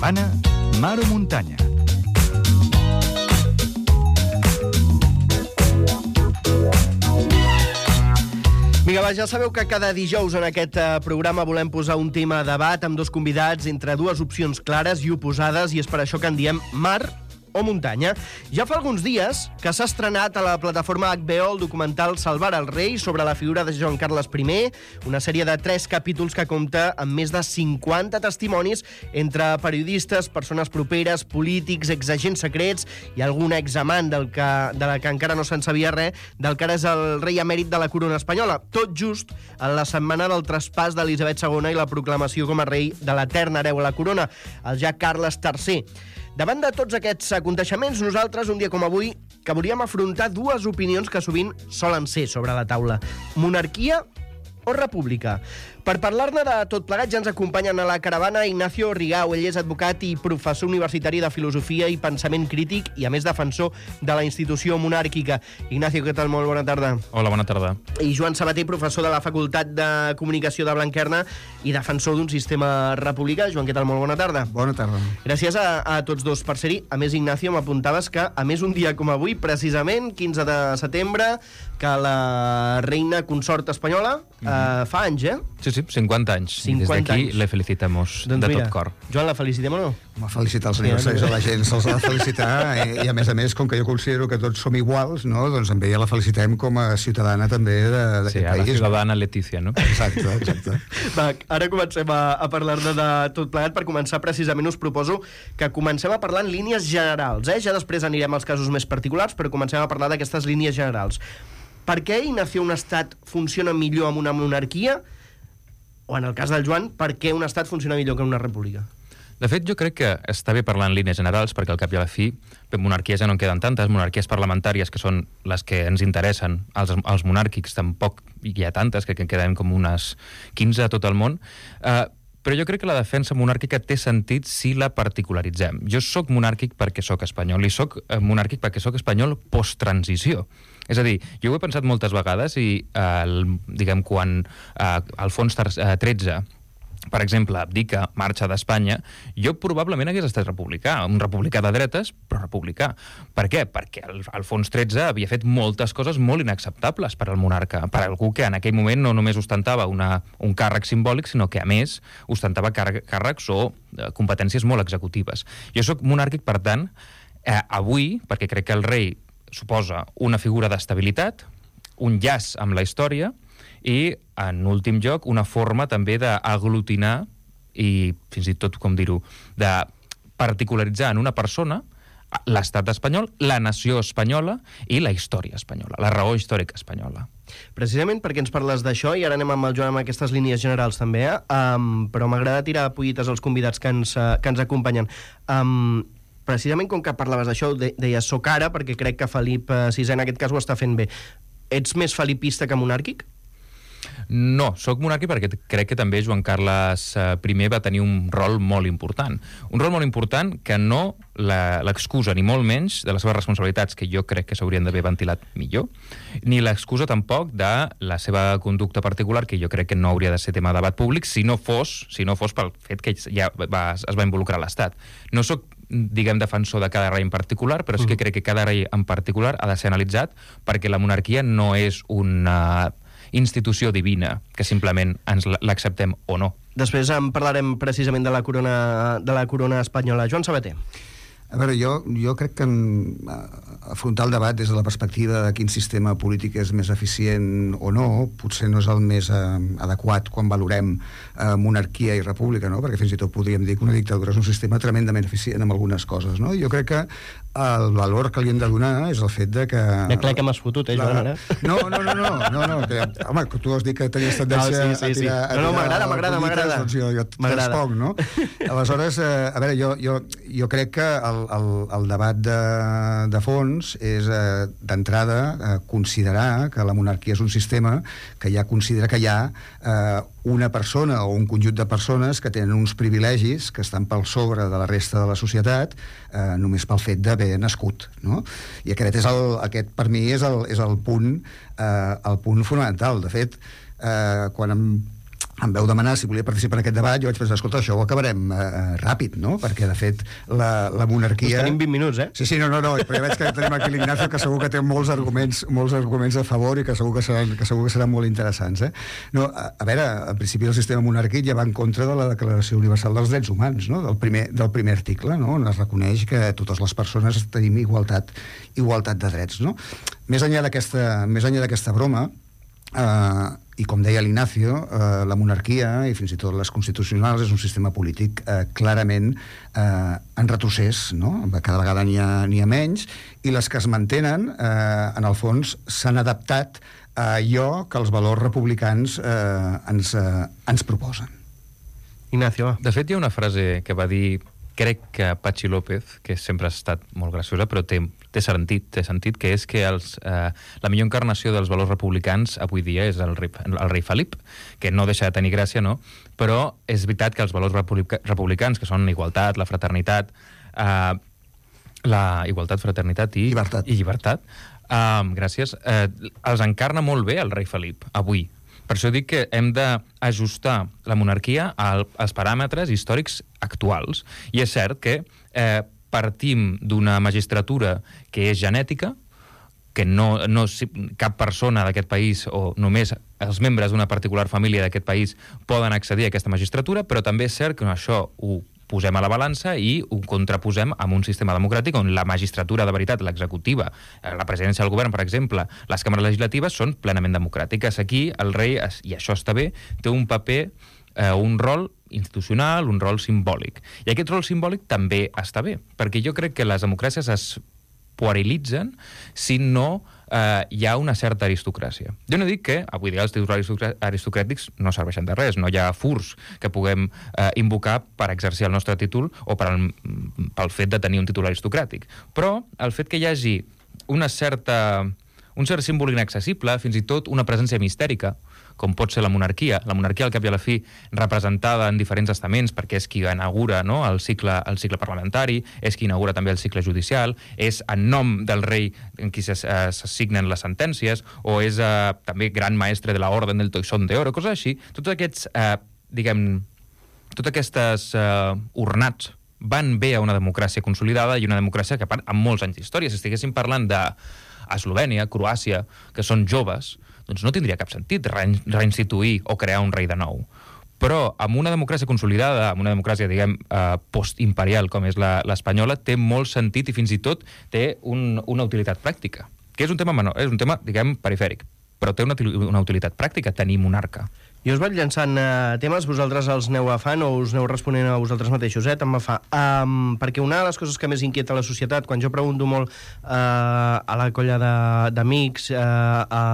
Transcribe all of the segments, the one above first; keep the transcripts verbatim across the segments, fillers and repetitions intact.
Caravana, mar o muntanya. Vinga, va, ja sabeu que cada dijous en aquest uh, programa volem posar un tema a debat amb dos convidats entre dues opcions clares i oposades, i és per això que en diem mar o muntanya. Ja fa alguns dies que s'ha estrenat a la plataforma H B O el documental Salvar el rei sobre la figura de Joan Carles I, una sèrie de tres capítols que compta amb més de cinquanta testimonis entre periodistes, persones properes, polítics, exagents secrets i algun examant del que, de la que encara no se'n sabia res, del que ara és el rei emèrit de la corona espanyola. Tot just en la setmana del traspàs d'Elisabet segona i la proclamació com a rei de l'eterna hereu a la corona, el ja Carles tercer. Davant de tots aquests aconteixements, nosaltres, un dia com avui, que volíem afrontar dues opinions que sovint solen ser sobre la taula. Monarquia o república? Per parlar-ne de tot plegat ja ens acompanyen a la caravana Ignacio Rigau. Ell és advocat i professor universitari de filosofia i pensament crític i, a més, defensor de la institució monàrquica. Ignacio, què tal? Molt bona tarda. Hola, bona tarda. I Joan Sabater, professor de la Facultat de Comunicació de Blanquerna i defensor d'un sistema republicà. Joan, què tal? Molt bona tarda. Bona tarda. Gràcies a, a tots dos per ser-hi. A més, Ignacio, m'apuntaves que, a més, un dia com avui, precisament, quinze de setembre, que la reina consort espanyola mm-hmm. eh, fa anys, eh? Sí, sí, cinquanta anys. cinquanta I des d'aquí anys. le felicitamos Doncs de mira, tot cor. Joan, la felicitem o no? Home, felicitar els senyors, sí, a la gent se'ls ha de felicitar i, i a més a més, com que jo considero que tots som iguals, no? Doncs amb ella la felicitem com a ciutadana també d'aquest sí, país. Sí, a la ciutadana Letícia, no? Exacte, exacte. Va, ara comencem a, a parlar-ne de tot plegat. Per començar, precisament, us proposo que comencem a parlar en línies generals, eh? Ja després anirem als casos més particulars, però comencem a parlar d'aquestes línies generals. Per què, Ignacio, un estat funciona millor amb una monarquia? O, en el cas del Joan, per què un estat funciona millor que una república? De fet, jo crec que està bé parlar en línies generals, perquè al cap i a la fi, monarquies ja no en queden tantes, monarquies parlamentàries, que són les que ens interessen, els, els monàrquics tampoc hi ha tantes, que, que queden com unes quinze a tot el món, eh, però jo crec que la defensa monàrquica té sentit si la particularitzem. Jo sóc monàrquic perquè sóc espanyol, i sóc monàrquic perquè sóc espanyol post-transició. És a dir, jo ho he pensat moltes vegades i, eh, el, diguem, quan eh, Alfons tretze, per exemple, abdica, marxa d'Espanya, jo probablement hagués estat republicà, un republicà de dretes, però republicà. Per què? Perquè el Alfons tretze havia fet moltes coses molt inacceptables per al monarca, per algú que en aquell moment no només ostentava una, un càrrec simbòlic, sinó que, a més, ostentava càr càrrecs o eh, competències molt executives. Jo sóc monàrquic, per tant, eh, avui, perquè crec que el rei suposa una figura d'estabilitat, un llaç amb la història, i, en últim lloc, una forma també d'aglutinar i, fins i tot, com dir-ho, de particularitzar en una persona l'estat espanyol, la nació espanyola i la història espanyola, la raó històrica espanyola. Precisament perquè ens parles d'això, i ara anem amb el Joan amb aquestes línies generals també, eh? um, però m'agrada tirar pollites als convidats que ens, uh, que ens acompanyen. Um, precisament com que parlaves d'això, de, deies soc ara, perquè crec que Felip sisè en aquest cas ho està fent bé. Ets més felipista que monàrquic? No, sóc monàrquic perquè crec que també Joan Carles I va tenir un rol molt important. Un rol molt important que no l'excusa, ni molt menys, de les seves responsabilitats, que jo crec que s'haurien d'haver ventilat millor, ni l'excusa tampoc de la seva conducta particular, que jo crec que no hauria de ser tema de debat públic, si no fos, si no fos pel fet que ja va, es va involucrar l'Estat. No sóc, diguem, defensor de cada rei en particular, però sí que crec que cada rei en particular ha de ser analitzat, perquè la monarquia no és una institució divina, que simplement ens l'acceptem o no. Després en parlarem precisament de la corona, de la corona espanyola. Joan Sabater. A veure, jo, jo crec que afrontar el debat des de la perspectiva de quin sistema polític és més eficient o no, potser no és el més eh, adequat quan valorem eh, monarquia i república, no? Perquè fins i tot podríem dir que una dictadura és un sistema tremendament eficient en algunes coses, no? Jo crec que el valor que li hem de donar és el fet de que... Ja crec que m'has fotut, eh, Joan, ara? No, no, no, no, no, no que, home, tu has dit que tenies tendència no, sí, sí, a tirar... Sí. No, no, m'agrada, m'agrada, m'agrada. Doncs jo, jo et responc, no? Aleshores, eh, a veure, jo, jo, jo crec que el, el, el debat de, de fons és, eh, d'entrada, eh, considerar que la monarquia és un sistema que ja considera que hi ha eh, una persona o un conjunt de persones que tenen uns privilegis que estan pel sobre de la resta de la societat eh, només pel fet d'haver nascut, no? I aquest, és el, aquest per mi és el, és el punt eh, el punt fonamental. De fet, eh, quan em em veu demanar si volia participar en aquest debat, jo vaig pensar, escolta, això ho acabarem eh, ràpid, no? Perquè, de fet, la, la monarquia... Us tenim vint minuts, eh? Sí, sí, no, no, no, però ja veig que tenim aquí l'Ignacio, que segur que té molts arguments, molts arguments a favor i que segur que seran, que segur que seran molt interessants, eh? No, a, a veure, en principi el sistema monàrquic ja va en contra de la Declaració Universal dels Drets Humans, no? Del primer, del primer article, no? On es reconeix que totes les persones tenim igualtat, igualtat de drets, no? Més enllà d'aquesta, més enllà d'aquesta broma, eh, i com deia l'Ignacio, eh, la monarquia i fins i tot les constitucionals és un sistema polític eh, clarament eh, en retrocés, no? Cada vegada n'hi ha, n'hi ha menys, i les que es mantenen eh, en el fons s'han adaptat a allò que els valors republicans eh, ens, eh, ens proposen. Ignacio, va. De fet, hi ha una frase que va dir, crec que Patxi López, que sempre ha estat molt graciosa, però té, té sentit, té sentit, que és que els, eh, la millor encarnació dels valors republicans avui dia és el rei, el rei Felip, que no deixa de tenir gràcia, no? Però és veritat que els valors republica, republicans, que són igualtat, la fraternitat, eh, la igualtat, fraternitat i llibertat, i llibertat eh, gràcies, eh, els encarna molt bé el rei Felip, avui. Per això dic que hem d'ajustar la monarquia als paràmetres històrics actuals. I és cert que eh, partim d'una magistratura que és genètica, que no, no cap persona d'aquest país o només els membres d'una particular família d'aquest país poden accedir a aquesta magistratura, però també és cert que això ho posem a la balança i ho contraposem amb un sistema democràtic on la magistratura de veritat, l'executiva, la presidència del govern, per exemple, les càmeres legislatives són plenament democràtiques. Aquí el rei, i això està bé, té un paper, eh, un rol institucional, un rol simbòlic. I aquest rol simbòlic també està bé, perquè jo crec que les democràcies es puerilitzen si no eh, hi ha una certa aristocràcia. Jo no dic que avui dia els títols aristocràtics no serveixen de res, no hi ha furs que puguem eh, invocar per exercir el nostre títol o per al, pel fet de tenir un títol aristocràtic. Però el fet que hi hagi una certa, un cert símbol inaccessible, fins i tot una presència mistèrica, com pot ser la monarquia. La monarquia, al cap i a la fi, representada en diferents estaments, perquè és qui inaugura, no?, el cicle, el cicle parlamentari, és qui inaugura també el cicle judicial, és en nom del rei en qui s'assignen les sentències, o és eh, també gran maestre de la Orden del Toisón de Oro, coses així. Tots aquests, eh, diguem, totes aquestes eh, ornats van bé a una democràcia consolidada i una democràcia que, amb molts anys d'història, si estiguéssim parlant de Eslovènia, Croàcia, que són joves, doncs no tindria cap sentit reinstituir o crear un rei de nou. Però amb una democràcia consolidada, amb una democràcia, diguem, eh, postimperial com és l'espanyola, té molt sentit i fins i tot té un, una utilitat pràctica, que és un tema menor, és un tema, diguem, perifèric, però té una, una utilitat pràctica, tenir monarca. Jo us vaig llançant uh, temes, vosaltres els aneu agafant o us aneu responent a vosaltres mateixos, eh? Tant me fa. Um, perquè una de les coses que més inquieta la societat, quan jo pregunto molt uh, a la colla d'amics, uh, a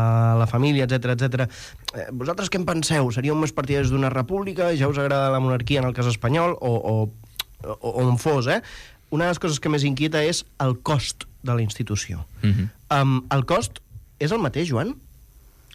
la família, etcètera, etcètera, eh, vosaltres què en penseu? Seríeu més partidaris d'una república? Ja us agrada la monarquia en el cas espanyol? O, o, o on fos, eh? Una de les coses que més inquieta és el cost de la institució. Mm-hmm. um, el cost és el mateix, Joan?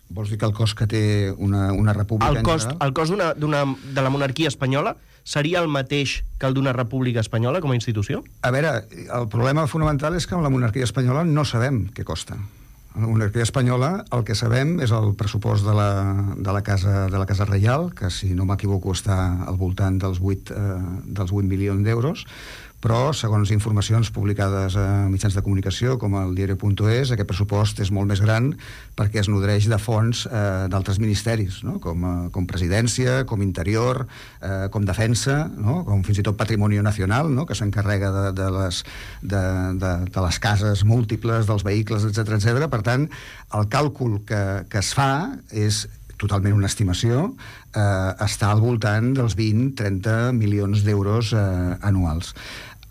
Vols dir que el cost que té una, una república... El cost, el cost d'una, d'una, de la monarquia espanyola seria el mateix que el d'una república espanyola com a institució? A veure, el problema fonamental és que amb la monarquia espanyola no sabem què costa. A la monarquia espanyola el que sabem és el pressupost de la, de la, casa, de la Casa Reial, que si no m'equivoco està al voltant dels vuit, eh, dels vuit milions d'euros, però, segons informacions publicades a mitjans de comunicació, com el diario.es, aquest pressupost és molt més gran perquè es nodreix de fons eh, d'altres ministeris, no? com, eh, com presidència, com interior, eh, com defensa, no? Com fins i tot patrimoni nacional, no? Que s'encarrega de, de, les, de, de, de les cases múltiples, dels vehicles, etcètera, etcètera. Per tant, el càlcul que, que es fa és totalment una estimació, eh, està al voltant dels vint a trenta milions d'euros eh, anuals.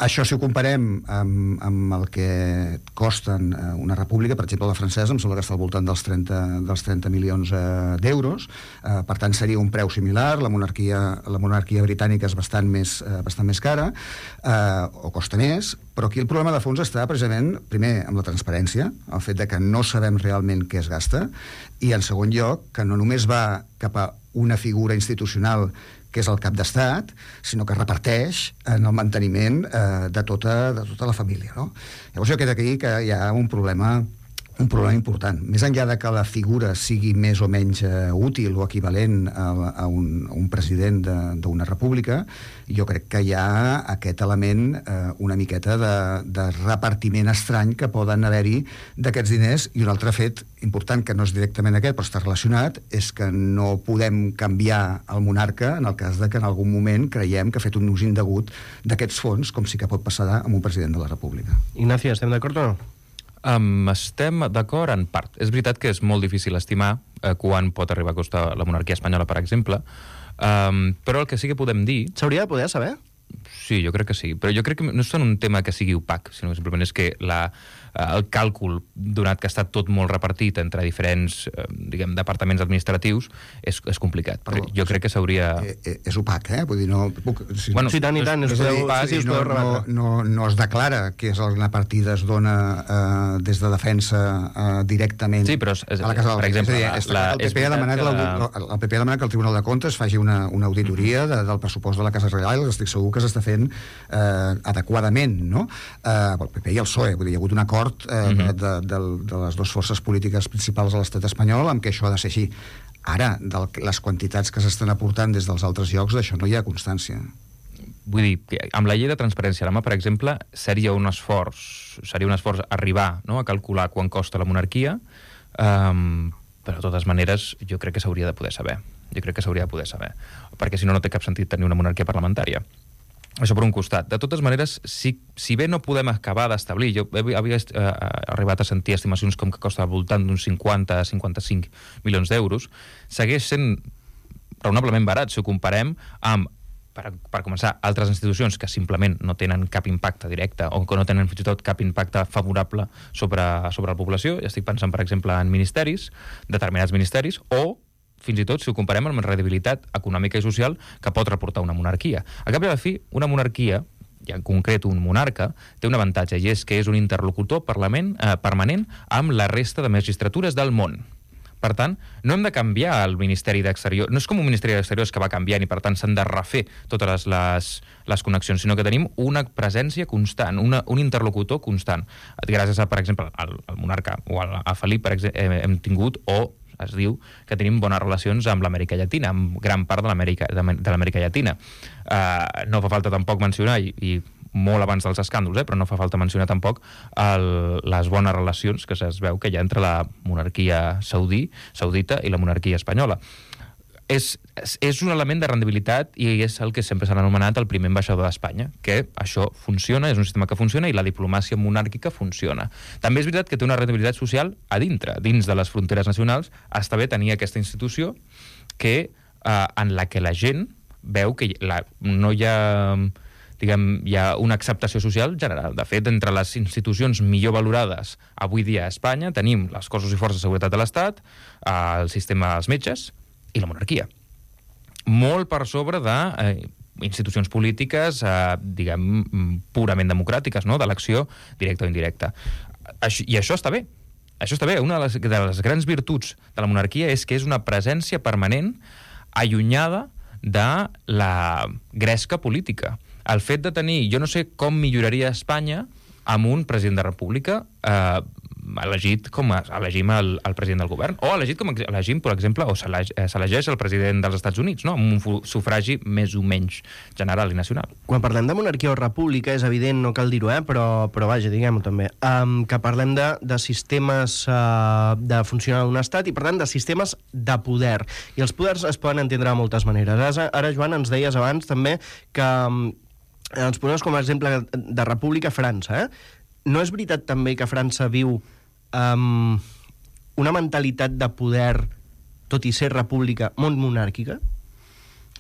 Això, si ho comparem amb, amb el que costen una república, per exemple, la francesa, em sembla que està al voltant dels trenta, dels trenta milions eh, d'euros, eh, per tant, seria un preu similar. La monarquia, la monarquia britànica és bastant més, eh, bastant més cara, eh, o costa més, però aquí el problema de fons està precisament, primer, amb la transparència, el fet de que no sabem realment què es gasta, i, en segon lloc, que no només va cap a una figura institucional que és el cap d'estat, sinó que reparteix en el manteniment eh, de, tota, de tota la família, no? Llavors jo queda aquí que hi ha un problema un problema important. Més enllà de que la figura sigui més o menys uh, útil o equivalent a, a, un, a un president d'una república, jo crec que hi ha aquest element uh, una miqueta de, de repartiment estrany que poden haver-hi d'aquests diners, i un altre fet important, que no és directament aquest, però està relacionat, és que no podem canviar el monarca en el cas de que en algun moment creiem que ha fet un ús indegut d'aquests fons, com sí que pot passar amb un president de la república. Ignacio, estem d'acord o no? Um, estem d'acord en part. És veritat que és molt difícil estimar eh, quan pot arribar a costar la monarquia espanyola, per exemple, um, però el que sí que podem dir... S'hauria de poder saber? Sí, jo crec que sí, però jo crec que no és tant un tema que sigui opac, sinó que simplement és que la, el càlcul, donat que està tot molt repartit entre diferents eh, diguem, departaments administratius, és, és complicat. Però jo crec que s'hauria... És, és opac, eh? Vull dir, no... Puc, si, bueno, sí, tant i tant. És, és dir, opac, sí, no, no, no, no es declara que és una partida es dona eh, des de defensa eh, directament sí, però és, a la Casa del per exemple, és dir, la, el, P P ha demanat que la... el P P ha demanat que el Tribunal de Comptes faci una, una auditoria de, del pressupost de la Casa Reial, estic segur que s'està fent eh, adequadament, no? Eh, el P P i el P S O E, vull dir, hi ha hagut un acord eh, uh -huh. de, de, de les dues forces polítiques principals a l'estat espanyol amb què això ha de ser així. Ara, de les quantitats que s'estan aportant des dels altres llocs, d'això no hi ha constància. Vull dir, que amb la llei de transparència a la mà, per exemple, seria un esforç, seria un esforç arribar, no?, a calcular quan costa la monarquia, um, però de totes maneres jo crec que s'hauria de poder saber. Jo crec que s'hauria de poder saber, perquè si no, no té cap sentit tenir una monarquia parlamentària. Això per un costat. De totes maneres, si, si bé no podem acabar d'establir, jo havia eh, arribat a sentir estimacions com que costa al voltant d'uns cinquanta a cinquanta-cinc milions d'euros, segueix sent raonablement barat si ho comparem amb, per, per començar, altres institucions que simplement no tenen cap impacte directe o que no tenen fins i tot cap impacte favorable sobre, sobre la població. Ja estic pensant, per exemple, en ministeris, determinats ministeris, o fins i tot si ho comparem amb la rendibilitat econòmica i social que pot reportar una monarquia. A cap i a la fi, una monarquia, i en concret un monarca, té un avantatge, i és que és un interlocutor parlament, eh, permanent amb la resta de magistratures del món. Per tant, no hem de canviar el Ministeri d'Exterior, no és com un Ministeri d'Exteriors que va canviant i per tant s'han de refer totes les, les connexions, sinó que tenim una presència constant, una, un interlocutor constant. Gràcies a, per exemple, al, al monarca o a, a Felip, per exemple, hem tingut, o es diu que tenim bones relacions amb l'Amèrica Llatina, amb gran part de l'Amèrica de l'Amèrica Llatina. Uh, no fa falta tampoc mencionar, i, i molt abans dels escàndols, eh, però no fa falta mencionar tampoc el, les bones relacions que es veu que hi ha entre la monarquia saudí, saudita i la monarquia espanyola. És, és un element de rendibilitat i és el que sempre s'ha anomenat el primer ambaixador d'Espanya, que això funciona, és un sistema que funciona i la diplomàcia monàrquica funciona. També és veritat que té una rendibilitat social a dintre, dins de les fronteres nacionals. Està bé tenir aquesta institució que, eh, en la que la gent veu que la, no hi ha, diguem, hi ha una acceptació social general. De fet, entre les institucions millor valorades avui dia a Espanya tenim les cossos i forces de seguretat de l'Estat, eh, el sistema dels metges i la monarquia. Molt per sobre de eh, institucions polítiques, eh, diguem, purament democràtiques, no?, d'elecció directa o indirecta. Això, I això està bé. Això està bé. Una de les, de les grans virtuts de la monarquia és que és una presència permanent allunyada de la gresca política. El fet de tenir... Jo no sé com milloraria Espanya amb un president de república eh, elegit com a, elegim el, el president del govern, o elegit com a, elegim, per exemple, o s'elegeix el president dels Estats Units, no?, amb un sufragi més o menys general i nacional. Quan parlem de monarquia o república, és evident, no cal dir-ho, eh? però, però vaja, diguem-ho també, um, que parlem de, de sistemes uh, de funcionar d'un estat i, per tant, de sistemes de poder. I els poders es poden entendre de moltes maneres. Ara, ara Joan, ens deies abans també que um, ens poses com a exemple de república França, eh? No és veritat també que França viu um, una mentalitat de poder, tot i ser república, molt monàrquica?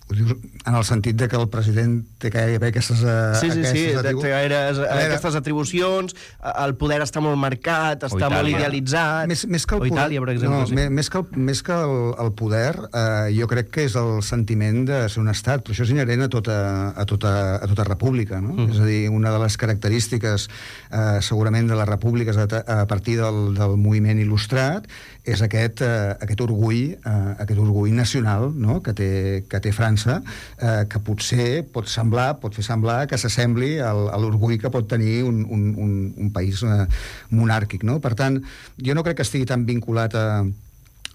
Ho dius en el sentit de que el president té gairebé aquestes, uh, sí, sí, aquestes, sí, atribu... té gaire, aquestes atribucions, el poder està molt marcat, està molt idealitzat. Més, més que el o poder, Itàlia, per exemple. No, sí. més que, el, més que el, el poder, eh, jo crec que és el sentiment de ser un estat, però això és inherent a tota, a tota, a tota república, no? Mm. És a dir, una de les característiques eh, segurament de les repúbliques a, a partir del, del moviment il·lustrat és aquest, eh, aquest orgull, eh, aquest orgull nacional, no?, que té, que té França, França, eh, que potser pot semblar, pot fer semblar que s'assembli al, a l'orgull que pot tenir un, un, un, un país eh, monàrquic, no? Per tant, jo no crec que estigui tan vinculat a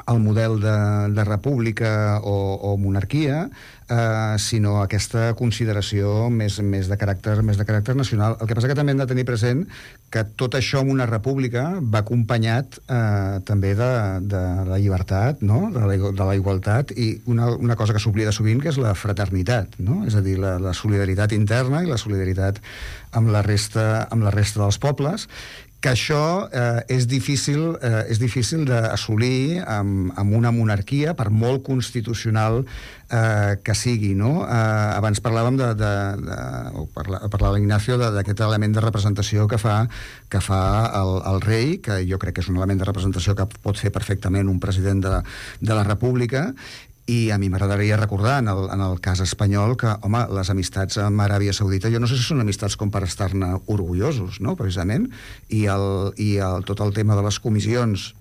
el model de, de república o, o monarquia, eh, sinó aquesta consideració més, més, de caràcter, més de caràcter nacional. El que passa que també hem de tenir present que tot això en una república va acompanyat eh, també de, de la llibertat, no? de, la, de la igualtat, i una, una cosa que s'oblida sovint, que és la fraternitat, no? És a dir, la, la solidaritat interna i la solidaritat amb la resta, amb la resta dels pobles, que això eh, és difícil, eh, és difícil d'assolir amb, amb una monarquia, per molt constitucional eh, que sigui, no? Eh, abans parlàvem de, de, de o parla, parlava l'Ignacio d'aquest element de representació que fa, que fa el, el rei, que jo crec que és un element de representació que pot fer perfectament un president de, de la República. I a mi m'agradaria recordar, en el, en el cas espanyol, que, home, les amistats amb Aràbia Saudita, jo no sé si són amistats com per estar-ne orgullosos, no?, precisament, i, el, i el, tot el tema de les comissions,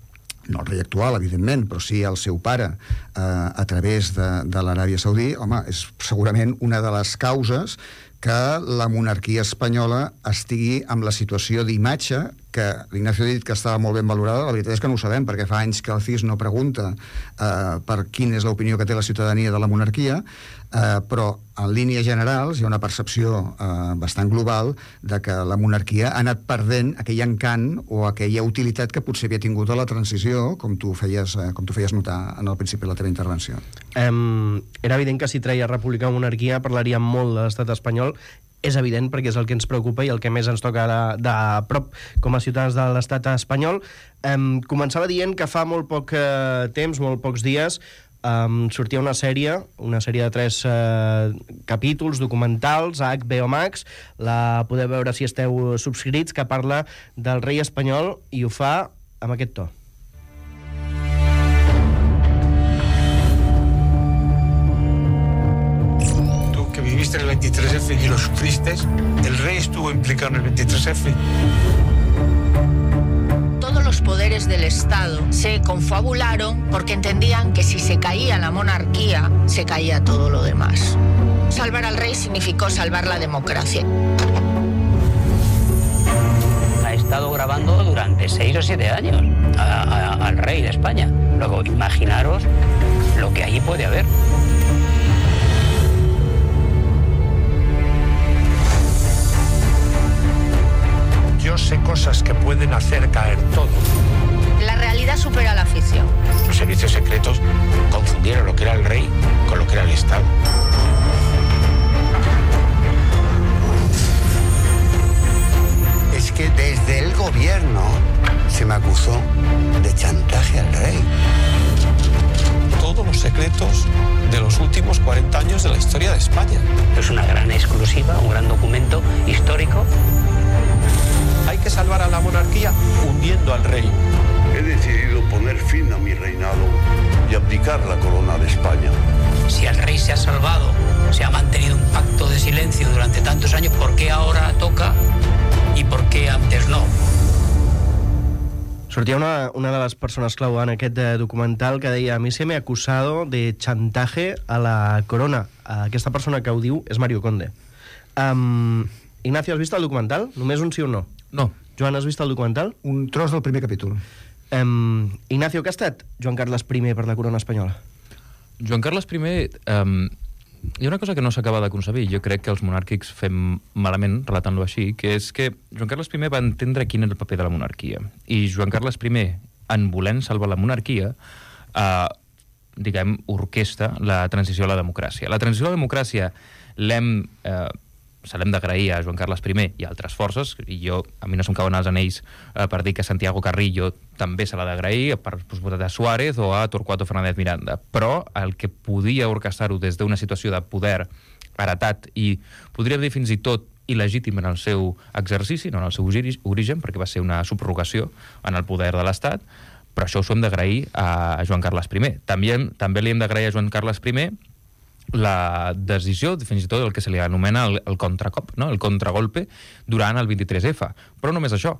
no el rei actual, evidentment, però sí el seu pare, eh, a través de, de l'Aràbia Saudí, home, és segurament una de les causes que la monarquia espanyola estigui amb la situació d'imatge que l'Ignacio ha dit que estava molt ben valorada. La veritat és que no ho sabem, perquè fa anys que el C I S no pregunta eh, per quina és l'opinió que té la ciutadania de la monarquia, eh, però en línies generals hi ha una percepció eh, bastant global de que la monarquia ha anat perdent aquell encant o aquella utilitat que potser havia tingut a la transició, com tu feies, eh, com tu feies notar en el principi de la teva intervenció. Um, era evident que si treia república o monarquia parlaríem molt de l'estat espanyol. És evident, perquè és el que ens preocupa i el que més ens toca de, de prop com a ciutadans de l'estat espanyol. Um, començava dient que fa molt poc uh, temps, molt pocs dies, um, sortia una sèrie, una sèrie de tres uh, capítols documentals a H B O Max, la podeu veure si esteu subscrits, que parla del rei espanyol i ho fa amb aquest to. Viviste en el veintitrés efe y lo sufriste, el rey estuvo implicado en el veintitrés efe. Todos los poderes del Estado se confabularon porque entendían que si se caía la monarquía, se caía todo lo demás. Salvar al rey significó salvar la democracia. Ha estado grabando durante seis o siete años a, a, al rey de España. Luego, imaginaros lo que allí puede haber. Yo sé cosas que pueden hacer caer todo. La realidad supera la ficción. Los servicios secretos confundieron lo que era el rey con lo que era el Estado. Es que desde el gobierno se me acusó de chantaje al rey. Todos los secretos de los últimos cuarenta años de la historia de España. Es una gran exclusiva, un gran documento histórico. Hay que salvar a la monarquía hundiendo al rey. He decidido poner fin a mi reinado y abdicar la corona de España. Si el rey se ha salvado, se ha mantenido un pacto de silencio durante tantos años, ¿por qué ahora toca y por qué antes no? Sortia una, una de les persones clau en aquest eh, documental que deia: a mi se me ha acusado de chantaje a la corona. Aquesta persona que ho diu és Mario Conde. Um, Ignacio, has vist el documental? Només un sí o un no? No. Joan, has vist el documental? Un tros del primer capítol. Um, Ignacio, què ha estat Joan Carles primer per la corona espanyola? Joan Carles primer... Um, hi ha una cosa que no s'acaba de concebir. Jo crec que els monàrquics fem malament, relatant-lo així, que és que Joan Carles primer va entendre quin era el paper de la monarquia. I Joan Carles primer, en volent salvar la monarquia, eh, diguem, orquestra la transició a la democràcia. La transició a la democràcia l'hem... Eh, se l'hem d'agrair a Joan Carles primer i a altres forces, i jo, a mi no se'm cauen els anells eh, per dir que Santiago Carrillo també se l'ha d'agrair, per posar a Suárez o a Torquato Fernández Miranda, però el que podia orquestar-ho des d'una situació de poder heretat i podríem dir fins i tot il·legítim en el seu exercici, no en el seu origen, perquè va ser una subrogació en el poder de l'Estat, però això ho hem d'agrair a Joan Carles primer. També, també li hem d'agrair a Joan Carles primer la decisió, fins i tot el que se li anomena el, el contracop, no? El contragolpe durant el vint-i-tres efe. Però només això.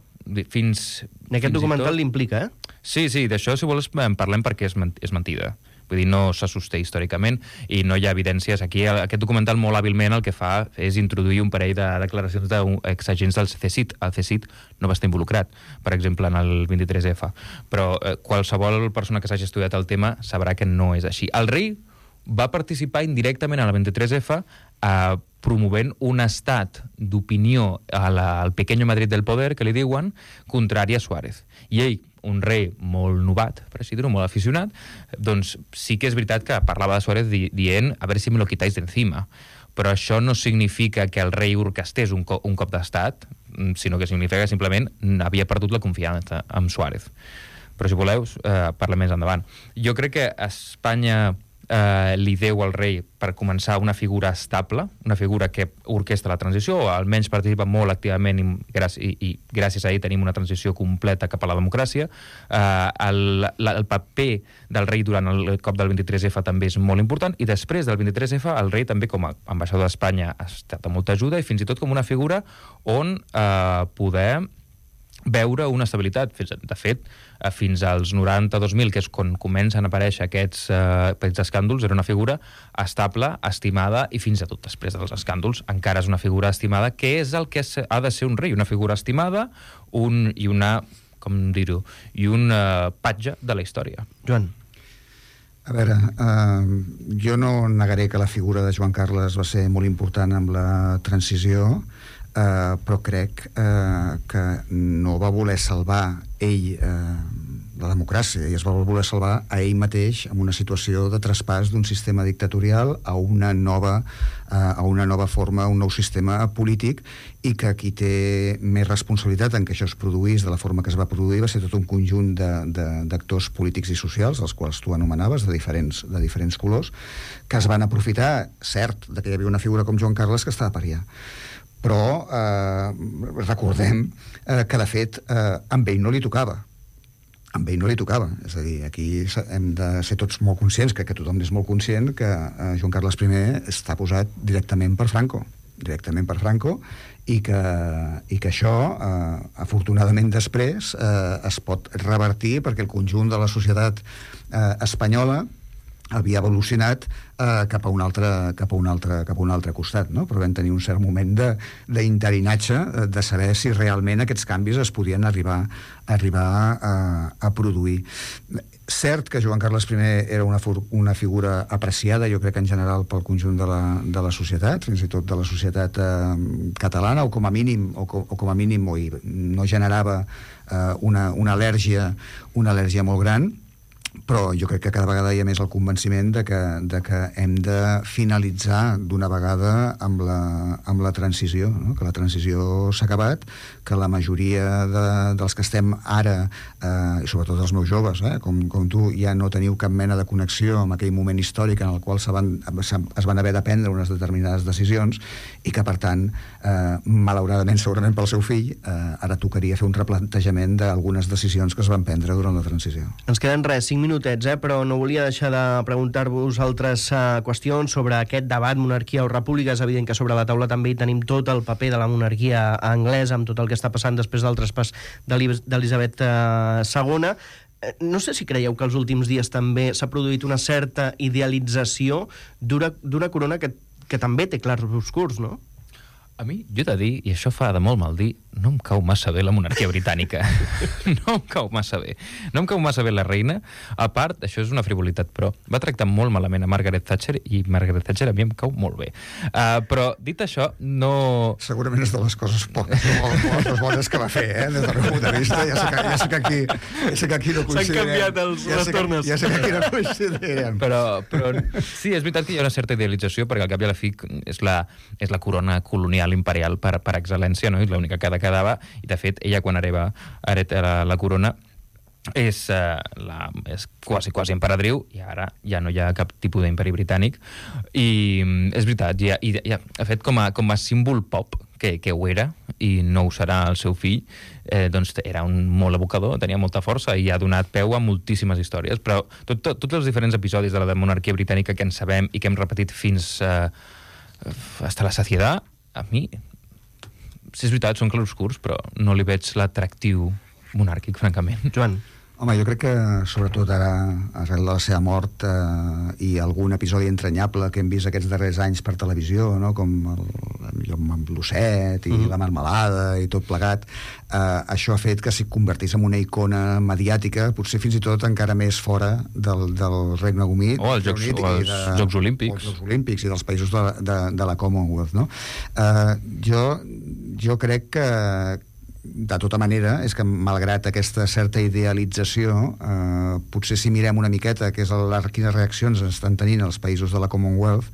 Fins, en aquest fins documental l'implica, eh? Sí, sí, d'això, si vols, en parlem perquè és, ment és mentida. Vull dir, no se sosté històricament i no hi ha evidències. Aquí aquest documental molt hàbilment el que fa és introduir un parell de declaracions d'exagents del C C I T. El C C I T no va estar involucrat, per exemple, en el vint-i-tres efa. Però eh, qualsevol persona que s'hagi estudiat el tema sabrà que no és així. El rei va participar indirectament al vint-i-tres efa eh, promovent un estat d'opinió al pequeño Madrid del poder, que li diuen, contrari a Suárez. I ell, un rei molt novat, per així dir-ho, molt aficionat, doncs sí que és veritat que parlava de Suárez di dient a veure si me lo quitáis de encima. Però això no significa que el rei orquestés un, co un cop d'estat, sinó que significa que simplement havia perdut la confiança amb Suárez. Però si voleu, eh, parlem més endavant. Jo crec que Espanya eh, li deu al rei, per començar, una figura estable, una figura que orquestra la transició, o almenys participa molt activament i, gràcies, i, i gràcies a ell tenim una transició completa cap a la democràcia. Eh, el, la, el paper del rei durant el cop del vint-i-tres efa també és molt important, i després del vint-i-tres efa el rei també com a ambaixador d'Espanya ha estat de molta ajuda, i fins i tot com una figura on eh, poder veure una estabilitat. De fet, fins als noranta-dos mil, que és quan comencen a aparèixer aquests, eh, aquests escàndols, era una figura estable, estimada, i fins i tot després dels escàndols encara és una figura estimada, que és el que ha de ser un rei, una figura estimada un, i una, com dir-ho, i un eh, patge de la història. Joan. A veure, eh, jo no negaré que la figura de Joan Carles va ser molt important amb la transició, Uh, però crec uh, que no va voler salvar ell uh, la democràcia, i es va voler salvar a ell mateix en una situació de traspàs d'un sistema dictatorial a una nova, uh, a una nova forma, un nou sistema polític, i que qui té més responsabilitat en que això es produís de la forma que es va produir va ser tot un conjunt d'actors polítics i socials, els quals tu anomenaves, de diferents, de diferents colors, que es van aprofitar, cert, de que hi havia una figura com Joan Carles que estava a pariar. Però eh, recordem eh, que, de fet, eh, amb ell no li tocava. Amb ell no li tocava. És a dir, aquí hem de ser tots molt conscients, crec que tothom és molt conscient, que eh, Joan Carles primer està posat directament per Franco, directament per Franco, i que, i que això, eh, afortunadament després, eh, es pot revertir perquè el conjunt de la societat eh, espanyola havia evolucionat eh, cap a un altre, cap a un altre, cap a un altre costat, no? Però vam tenir un cert moment d'interinatge, de, de saber si realment aquests canvis es podien arribar, arribar a, a produir. Cert que Joan Carles primer era una, una figura apreciada, jo crec que en general pel conjunt de la, de la societat, fins i tot de la societat eh, catalana, o com a mínim, o, o com a mínim o no generava eh, una, una al·lèrgia, una al·lèrgia molt gran, però jo crec que cada vegada hi ha més el convenciment de que, de que hem de finalitzar d'una vegada amb la, amb la transició, no? Que la transició s'ha acabat, que la majoria de, dels que estem ara, eh, i sobretot els meus joves, eh, com, com tu, ja no teniu cap mena de connexió amb aquell moment històric en el qual se van, es van haver de prendre unes determinades decisions, i que, per tant, eh, malauradament, segurament pel seu fill, eh, ara tocaria fer un replantejament d'algunes decisions que es van prendre durant la transició. Ens queden res, cinc minutets, eh? Però no volia deixar de preguntar-vos altres uh, qüestions sobre aquest debat, monarquia o república. És evident que sobre la taula també hi tenim tot el paper de la monarquia anglesa, amb tot el que està passant després del traspàs d'Elisabet uh, segona. No sé si creieu que els últims dies també s'ha produït una certa idealització d'una corona que, que també té clars obscurs, no? A mi, jo he de dir, i això fa de molt mal dir, no em cau massa bé la monarquia britànica. No em cau massa bé. No em cau massa bé la reina. A part, això és una frivolitat, però va tractar molt malament a Margaret Thatcher, i Margaret Thatcher a mi em cau molt bé. Uh, però, dit això, no... Segurament és de les coses poques, les bones que va fer, eh? Des del meu punt de vista, ja sé que, ja sé que aquí, ja sé que aquí no coincidirem. S'han canviat els, ja les tornes. Ja sé que aquí no coincidirem. Però, però sí, és veritat que hi ha una certa idealització, perquè al cap i a la fi és la, és la corona colonial imperial per, per excel·lència, no? I l'única que quedava, i de fet ella quan hereva, hereta la, la corona és, uh, la, és quasi, quasi emperadriu, i ara ja no hi ha cap tipus d'imperi britànic, i és veritat, ja, i, ja, de fet com a, com a símbol pop que, que ho era, i no ho serà el seu fill, eh, doncs era un molt evocador, tenia molta força i ha donat peu a moltíssimes històries, però tot, tot, tots els diferents episodis de la monarquia britànica que en sabem i que hem repetit fins uh, hasta la saciedat, a mi, si és veritat, són clarobscurs, però no li veig l'atractiu monàrquic, francament. Joan. Home, jo crec que, sobretot ara, arrel de la seva mort eh, i algun episodi entranyable que hem vist aquests darrers anys per televisió, no? Com el, el, amb l'osset i mm. la marmelada i tot plegat, eh, això ha fet que s'hi convertís en una icona mediàtica, potser fins i tot encara més fora del, del Regne Unit. O els Jocs, Unit, o els de, Jocs Olímpics. O els Jocs Olímpics i dels països de, de, de la Commonwealth, no? Eh, jo, jo crec que de tota manera, és que malgrat aquesta certa idealització, eh, potser si mirem una miqueta que és el, quines reaccions estan tenint els països de la Commonwealth,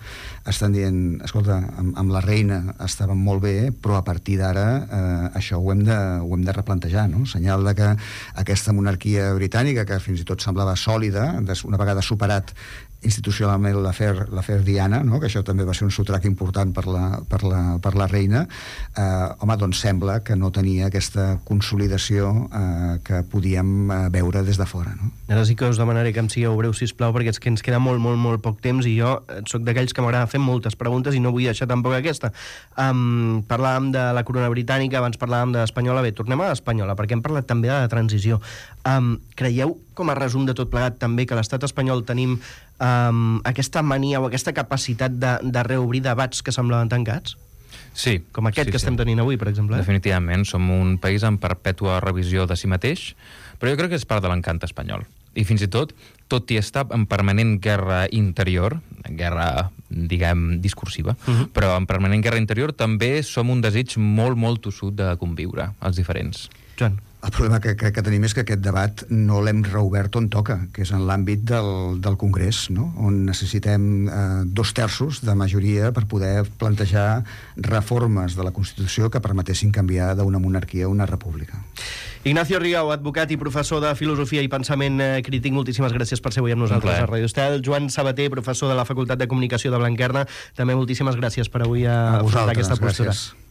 estan dient, escolta, amb, amb la reina estàvem molt bé, però a partir d'ara eh, això ho hem, de, ho hem de replantejar, no? Senyal de que aquesta monarquia britànica, que fins i tot semblava sòlida, una vegada superat institucionalment l'afer l'afer Diana, no? Que això també va ser un sotrac important per la, per la, per la reina, eh, home, doncs sembla que no tenia aquesta consolidació eh, que podíem eh, veure des de fora, no? Ara sí que us demanaré que em sigueu breu, sisplau, perquè és que ens queda molt, molt, molt poc temps i jo sóc d'aquells que m'agrada fer moltes preguntes i no vull deixar tampoc aquesta. Um, parlàvem de la corona britànica, abans parlàvem de l'espanyola. Bé, tornem a l'espanyola, perquè hem parlat també de la transició. Um, creieu, com a resum de tot plegat, també que a l'estat espanyol tenim um, aquesta mania o aquesta capacitat de, de reobrir debats que semblaven tancats? Sí. Com aquest sí, que sí. estem tenint avui, per exemple. Eh? Definitivament. Som un país en perpètua revisió de si mateix, però jo crec que és part de l'encant espanyol. I fins i tot, tot i estar en permanent guerra interior, guerra, diguem, discursiva, uh-huh. però en permanent guerra interior també som un desig molt, molt tossut de conviure, els diferents. Joan. El problema que crec que tenim és que aquest debat no l'hem reobert on toca, que és en l'àmbit del, del Congrés, no? On necessitem eh, dos terços de majoria per poder plantejar reformes de la Constitució que permetessin canviar d'una monarquia a una república. Ignacio Rigau, advocat i professor de Filosofia i Pensament Crític, moltíssimes gràcies per ser avui amb nosaltres a Radio Estel. Joan Sabater, professor de la Facultat de Comunicació de Blanquerna, també moltíssimes gràcies per avui a, a afrontar aquesta postura. Gràcies.